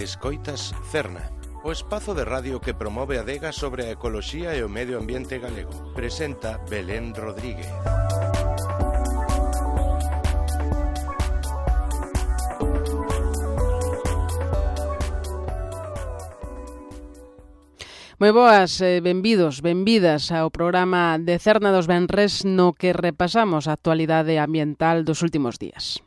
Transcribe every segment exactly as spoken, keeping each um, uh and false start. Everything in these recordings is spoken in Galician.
Escoitas Cerna, o espazo de radio que promove a adega sobre a ecoloxía e o medio ambiente galego. Presenta Belén Rodríguez. Moi boas, eh, benvidos, benvidas ao programa de Cerna dos Venres no que repasamos a actualidade ambiental dos últimos días.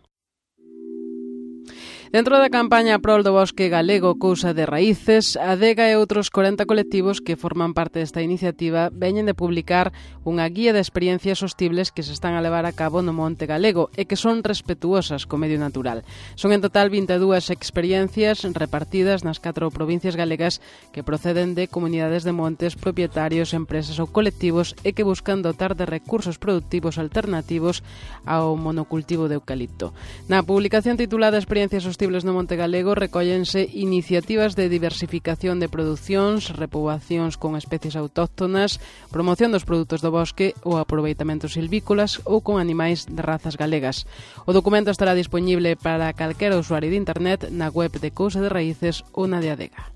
Dentro da campaña prol do bosque galego Cousa de Raíces, a adega e outros corenta colectivos que forman parte desta iniciativa veñen de publicar unha guía de experiencias sostibles que se están a levar a cabo no monte galego e que son respetuosas co medio natural. Son en total vinte e dúas experiencias repartidas nas catro provincias galegas que proceden de comunidades de montes, propietarios, empresas ou colectivos e que buscan dotar de recursos productivos alternativos ao monocultivo de eucalipto. Na publicación titulada Experiencias sostibles no monte galego recóllense iniciativas de diversificación de producións, repoboacións con especies autóctonas, promoción dos produtos do bosque ou aproveitamentos silvícolas ou con animais de razas galegas. O documento estará disponible para calquera usuario de internet na web de Cousa de Raíces ou na de Adega.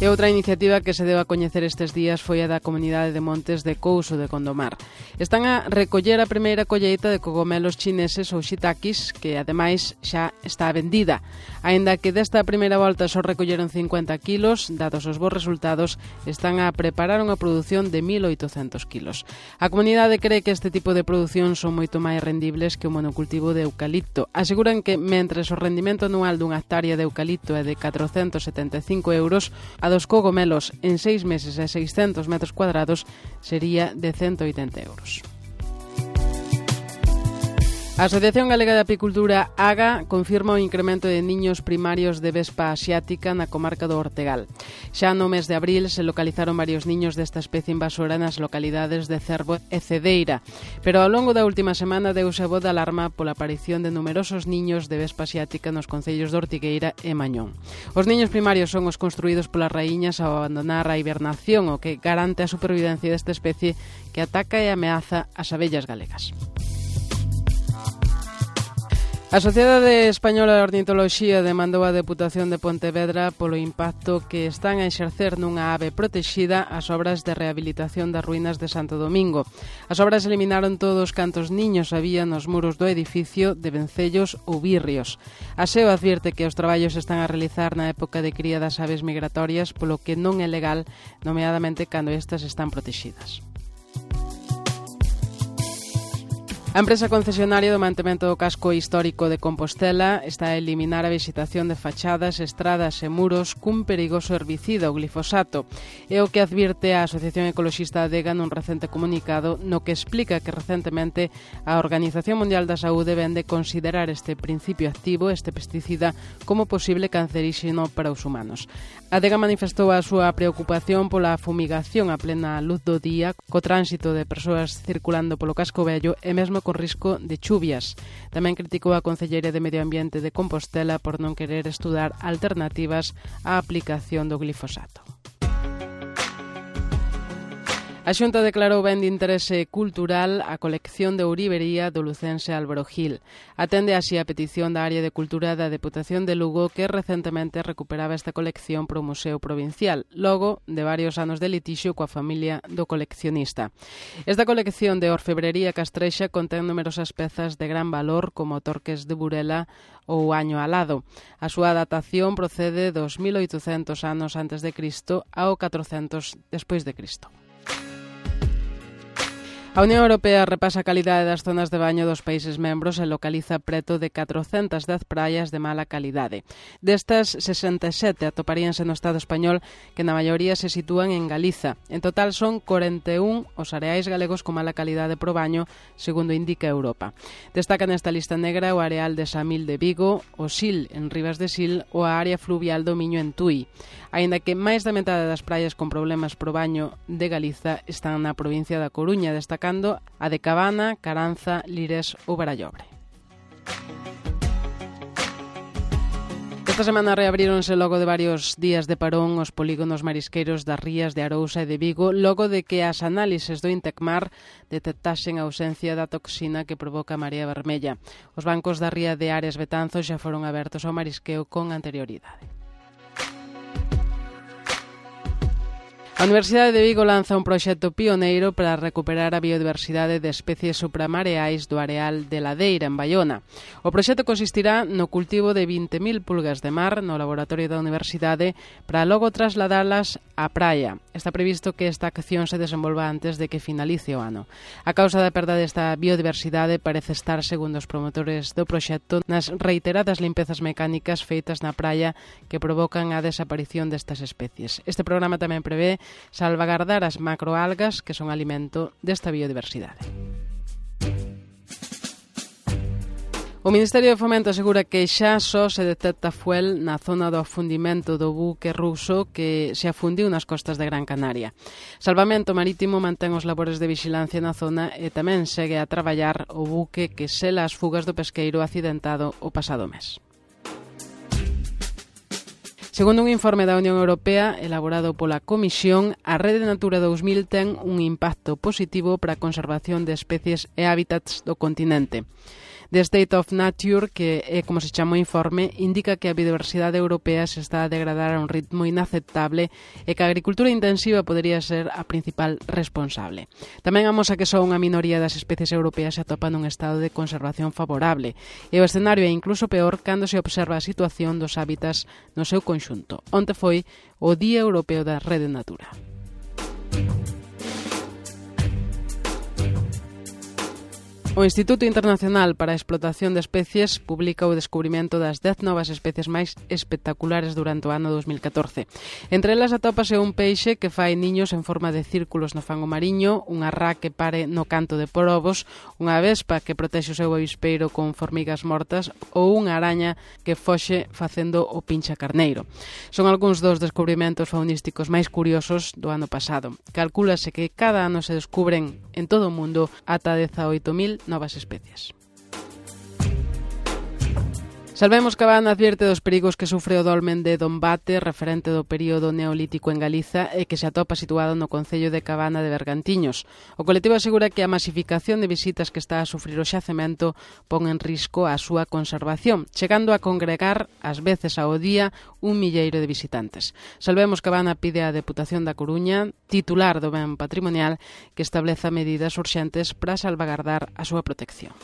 E outra iniciativa que se deu a coñecer estes días foi a da Comunidade de Montes de Couso de Condomar. Están a recoller a primeira colleita de cogomelos chineses ou shiitakes, que ademais xa está vendida. Aínda que desta primeira volta só recolleron cincuenta kilos, dados os bons resultados, están a preparar unha produción de mil oitocentos kilos. A comunidade cree que este tipo de produción son moito máis rendibles que o monocultivo de eucalipto. Aseguran que, mentres o rendimento anual dunha hectárea de eucalipto é de catrocentos setenta e cinco euros, a dos cogomelos en seis meses e seiscentos metros cuadrados sería de ciento oitenta euros. A Asociación Galega de Apicultura, AGA, confirma o incremento de niños primarios de vespa asiática na comarca do Ortegal. Xa no mes de abril se localizaron varios niños desta especie invasora nas localidades de Cervo e Cedeira, pero ao longo da última semana deuse a voz de alarma pola aparición de numerosos niños de vespa asiática nos concellos de Ortigueira e Mañón. Os niños primarios son os construídos polas raíñas ao abandonar a hibernación, o que garante a supervivencia desta especie que ataca e ameaza as abellas galegas. A Sociedade Española de Ornitoloxía demandou a Deputación de Pontevedra polo impacto que están a exercer nunha ave protexida as obras de rehabilitación das ruínas de Santo Domingo. As obras eliminaron todos cantos niños había nos muros do edificio de vencellos ou birrios. A SEO advirte que os traballos están a realizar na época de cría das aves migratorias, polo que non é legal, nomeadamente cando estas están protexidas. A empresa concesionaria do mantemento do casco histórico de Compostela está a eliminar a vexetación de fachadas, estradas e muros cun perigoso herbicida, o glifosato. É o que advirte a Asociación Ecoloxista Adega nun recente comunicado no que explica que recentemente a Organización Mundial da Saúde vende considerar este principio activo, este pesticida, como posible canceríxeno para os humanos. Adega manifestou a súa preocupación pola fumigación a plena luz do día, co tránsito de persoas circulando polo casco vello e mesmo con risco de chuvias. Tamén criticou a Concelleira de Medio Ambiente de Compostela por non querer estudar alternativas á aplicación do glifosato. A Xunta declarou ben de interese cultural a colección de ourivería do lucense Álvaro Gil. Atende así a petición da Área de Cultura da Deputación de Lugo, que recentemente recuperaba esta colección para o Museo Provincial, logo de varios anos de litixio coa familia do coleccionista. Esta colección de orfebrería castrexa contén numerosas pezas de gran valor, como torques de Burela ou año alado. A súa datación procede dos mil oitocentos anos antes de Cristo ao catrocentos despois de Cristo. A Unión Europea repasa a calidade das zonas de baño dos países membros e localiza preto de catrocentas dez praias de mala calidade. Destas, sesenta e sete atoparíanse no Estado español, que na maioría se sitúan en Galiza. En total son corenta e un os areais galegos con mala calidade pro baño, segundo indica Europa. Destaca nesta lista negra o areal de Samil de Vigo, o Sil en Rivas de Sil ou a área fluvial do Miño en Tui. Aínda que máis da metade das praias con problemas pro baño de Galiza están na provincia da Coruña, destacando a de Cabana, Caranza, Lires ou Barallobre. Esta semana reabríronse logo de varios días de parón os polígonos marisqueiros das rías de Arousa e de Vigo, logo de que as análises do Intecmar detectasen a ausencia da toxina que provoca a marea vermella. Os bancos da ría de Ares Betanzos xa foron abertos ao marisqueo con anterioridade. A Universidade de Vigo lanza un proxecto pioneiro para recuperar a biodiversidade de especies supramareais do areal de Ladeira, en Baiona. O proxecto consistirá no cultivo de vinte mil pulgas de mar no laboratorio da Universidade para logo trasladalas á praia. Está previsto que esta acción se desenvolva antes de que finalice o ano. A causa da perda desta biodiversidade parece estar, segundo os promotores do proxecto, nas reiteradas limpezas mecánicas feitas na praia que provocan a desaparición destas especies. Este programa tamén prevé salvagardar as macroalgas que son alimento desta biodiversidade. O Ministerio de Fomento asegura que xa só se detecta fuel na zona do afundimento do buque ruso que se afundiu nas costas de Gran Canaria. Salvamento Marítimo mantén os labores de vixilancia na zona e tamén segue a traballar o buque que sela as fugas do pesqueiro accidentado o pasado mes. Segundo un informe da Unión Europea elaborado pola Comisión, a Rede Natura dous mil ten un impacto positivo para a conservación de especies e hábitats do continente. The State of Nature, que é como se chama o informe, indica que a biodiversidade europea se está a degradar a un ritmo inaceptable e que a agricultura intensiva podería ser a principal responsable. Tamén amosa que só unha minoría das especies europeas se atopa nun estado de conservación favorable e o escenario é incluso peor cando se observa a situación dos hábitats no seu conxunto. Onte foi o Día Europeo da Rede Natura. O Instituto Internacional para a Explotación de Especies publica o descubrimento das dez novas especies máis espectaculares durante o ano dos mil catorce. Entre elas atópase un peixe que fai niños en forma de círculos no fango mariño, unha rá que pare no canto de Porobos, unha vespa que protexe o seu avispeiro con formigas mortas ou unha araña que foxe facendo o pincha carneiro. Son algúns dos descubrimentos faunísticos máis curiosos do ano pasado. Calcúlase que cada ano se descubren en todo o mundo ata dezaoito mil novas especies. Salvemos Cabana advierte dos perigos que sufre o dolmen de Dombate, referente do período neolítico en Galiza e que se atopa situado no concello de Cabana de Bergantiños. O colectivo asegura que a masificación de visitas que está a sufrir o xacemento pon en risco a súa conservación, chegando a congregar ás veces ao día un milleiro de visitantes. Salvemos Cabana pide á Deputación da Coruña, titular do ben patrimonial, que estableza medidas urxentes para salvagardar a súa protección.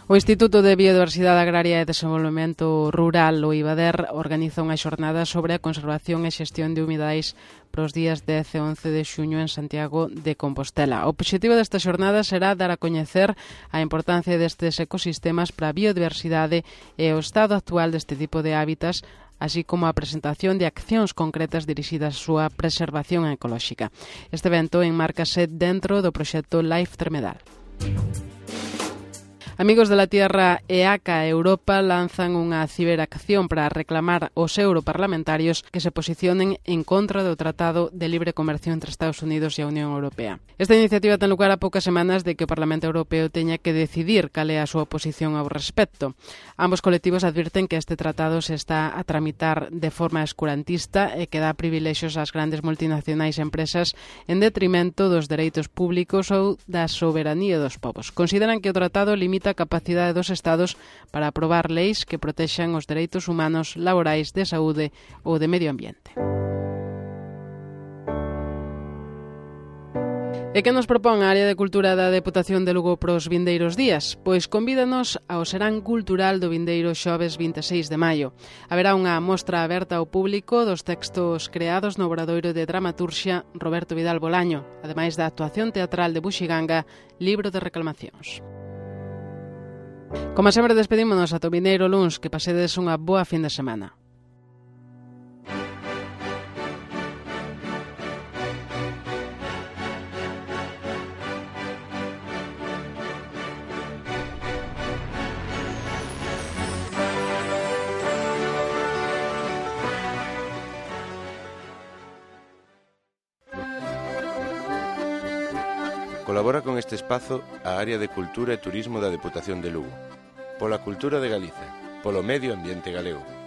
O Instituto de Biodiversidade Agraria e Desenvolvemento Rural, o IBADER, organiza unha xornada sobre a conservación e xestión de humidais para os días dez e once de xuño en Santiago de Compostela. O obxectivo desta xornada será dar a coñecer a importancia destes ecosistemas para a biodiversidade e o estado actual deste tipo de hábitats, así como a presentación de accións concretas dirixidas á súa preservación ecolóxica. Este evento enmárcase dentro do proxecto Life Tremedal. Amigos de la Tierra e A C A Europa lanzan unha ciberacción para reclamar aos europarlamentarios que se posicionen en contra do Tratado de Libre Comercio entre Estados Unidos e a Unión Europea. Esta iniciativa ten lugar a poucas semanas de que o Parlamento Europeo teña que decidir cal é a súa posición ao respecto. Ambos colectivos advirten que este tratado se está a tramitar de forma escurantista e que dá privilexios ás grandes multinacionais empresas en detrimento dos dereitos públicos ou da soberanía dos povos. Consideran que o tratado limita a capacidade dos Estados para aprobar leis que protexan os dereitos humanos, laborais, de saúde ou de medio ambiente. E que nos propón a área de cultura da Deputación de Lugo para os vindeiros días? Pois convídanos ao Serán Cultural do vindeiro xoves vinte e seis de maio. Haberá unha mostra aberta ao público dos textos creados no Obradoiro de Dramaturxia Roberto Vidal Bolaño, ademais da actuación teatral de Buxiganga, Libro de Reclamacións. Como sempre, despedímonos ata o vindeiro luns, que pasedes unha boa fin de semana. Colabora con este espazo a Área de Cultura e Turismo da Deputación de Lugo. pola cultura de Galiza, polo medio ambiente galego.